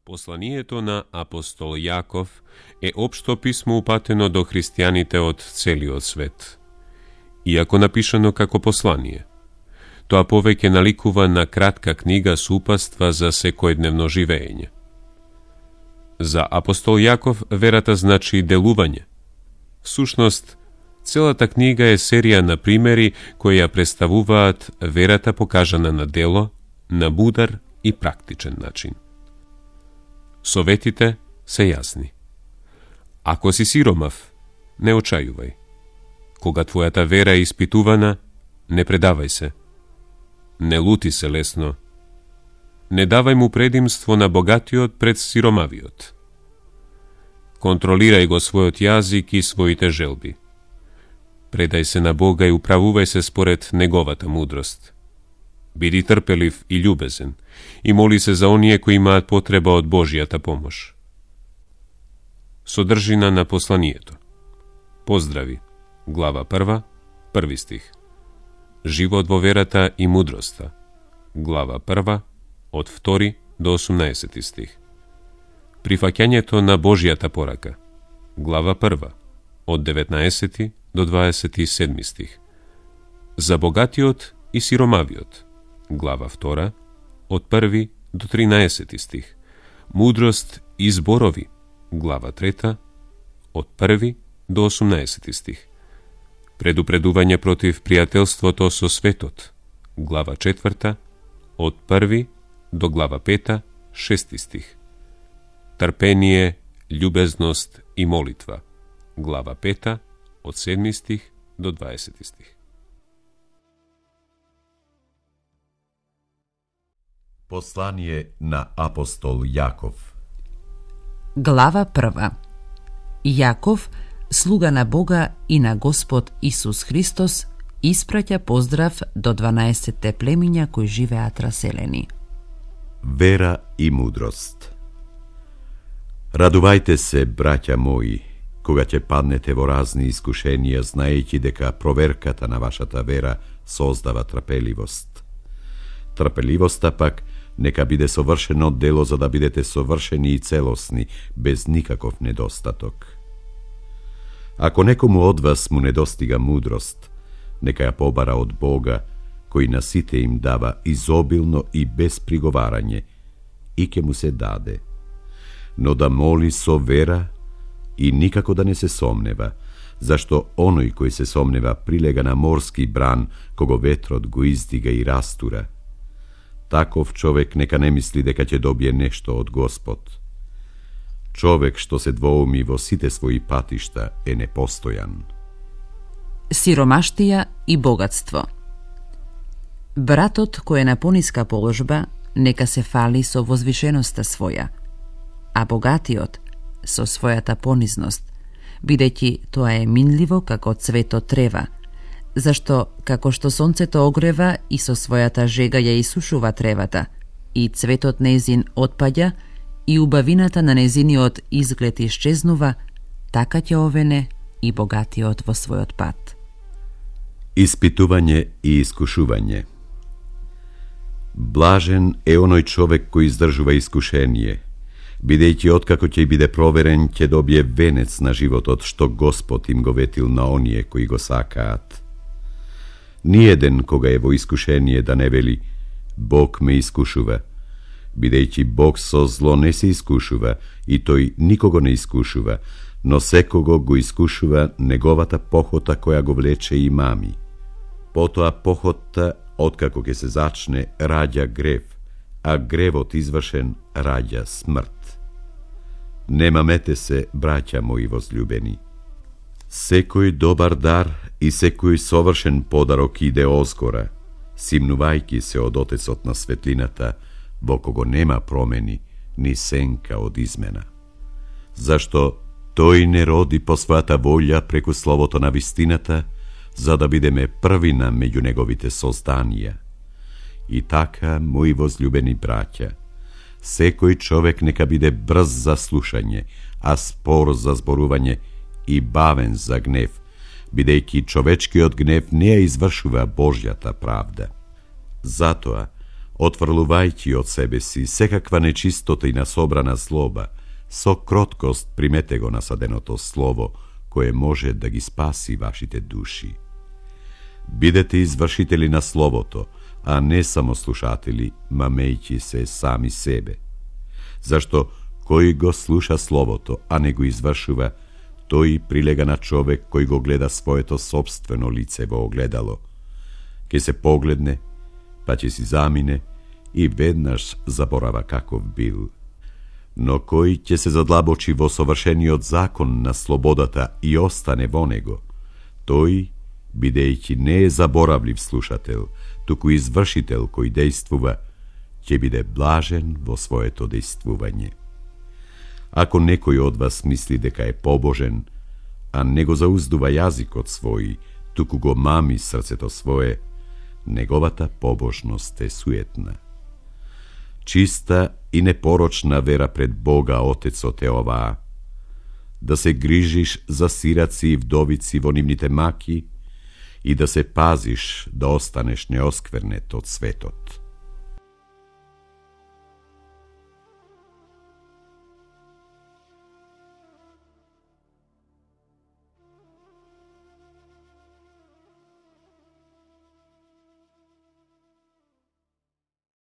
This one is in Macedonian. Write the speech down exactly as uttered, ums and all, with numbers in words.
Посланието на апостол Јаков е општо писмо упатено до христијаните од целиот свет. Иако напишано како послание, тоа повеќе наликува на кратка книга супаства за секојдневно живење. За апостол Јаков верата значи делување. Всушност, целата книга е серија на примери кои ја представуваат верата покажана на дело, на мудар и практичен начин. Советите се јасни. Ако си сиромав, не очајувај. Кога твојата вера е испитувана, не предавај се. Не лути се лесно. Не давај му предимство на богатиот пред сиромавиот. Контролирај го својот јазик и своите желби. Предај се на Бога и управувај се според неговата мудрост. Биди трпелив и љубезен и моли се за оние кои имаат потреба од Божјата помош. Содржина на посланието. Поздрави. Глава прва, први стих. Живот во верата и мудроста. Глава прва, од втори до осумнаесети стих. Прифаќањето на Божјата порака. Глава прва, од деветнаесети до дваесет и седми стих. За богатиот и сиромавиот. Глава втора, од први до тринаесети стих. Мудрост и зборови. Глава трета, од први до осумнаесети стих. Предупредување против пријателството со светот. Глава четврта, од први до глава пета, шести стих. Трпение, љубезност и молитва. Глава пета, од седми стих до дваесети стих. Послание на апостол Јаков. Глава прва. Јаков, слуга на Бога и на Господ Исус Христос, испраќа поздрав до дванаесетте племиња кои живеат раселени. Вера и мудрост. Радувајте се, браќа мои, кога ќе паднете во разни искушенија, знаејќи дека проверката на вашата вера создава трпеливост. Трпеливоста пак нека биде совршено дело за да бидете совршени и целосни, без никаков недостаток. Ако некому од вас му недостига мудрост, нека ја побара од Бога, кој на сите им дава изобилно и без приговарање, и ќе му се даде. Но да моли со вера и никако да не се сомнева, зашто оној кој се сомнева прилега на морски бран, кого ветрот го издига и растура. Таков човек нека не мисли дека ќе добие нешто од Господ. Човек што се двоуми во сите своји патишта е непостојан. Сиромаштија и богатство. Братот кој е на пониска положба, нека се фали со возвишеноста своја, а богатиот со својата понизност, бидејќи тоа е минливо како цветот трева, зашто како што сонцето огрева и со својата жега ја исушува тревата, и цветот нејзин отпаѓа, и убавината на нејзиниот изглед исчезнува, така ќе овене и богатиот во својот пат. Испитување и искушување. Блажен е оној човек кој издржува искушение, бидејќи откако ќе биде проверен, ќе добие венец на животот што Господ им го ветил на оние кои го сакаат. Ниеден кога е во искушение да не вели Бог ме искушува, бидејќи Бог со зло не се искушува и тој никого не искушува, но секого го искушува неговата похота која го влече и мами. Потоа похотта, откако ќе се зачне, раѓа грев, а гревот извршен раѓа смрт. Не мамете се, браќа мои возљубени. Секој добар дар и секој совршен подарок иде озгора, симнувајќи се од Отецот на светлината, во кого нема промени, ни сенка од измена. Зашто тој не роди по својата волја преку словото на вистината, за да бидеме првина меѓу неговите созданија. И така, мои возљубени браќа, секој човек нека биде брз за слушање, а спор за зборување и бавен за гнев, бидејќи човечкиот гнев не ја извршува Божјата правда. Затоа, Отврлувајќи од себе си секаква нечистота и насобрана злоба, со кроткост примете го насаденото слово, кое може да ги спаси вашите души. Бидете извршители на словото, а не само слушатели, мамејќи се сами себе. Зашто кој го слуша словото, а не го извршува, тој прилега на човек кој го гледа своето собствено лице во огледало. Ке се погледне, па ќе си замине и веднаш заборава каков бил. Но кој ќе се задлабочи во совршениот закон на слободата и остане во него, тој, бидејќи не е заборавлив слушател, туку извршител кој дејствува, ќе биде блажен во своето дејствување. Ако некој од вас мисли дека е побожен, а не го зауздува јазикот свој, туку го мами срцето свое, неговата побожност е суетна. Чиста и непорочна вера пред Бога Отецот е оваа: да се грижиш за сираци и вдовици во нивните маки и да се пазиш да останеш неосквернет од светот.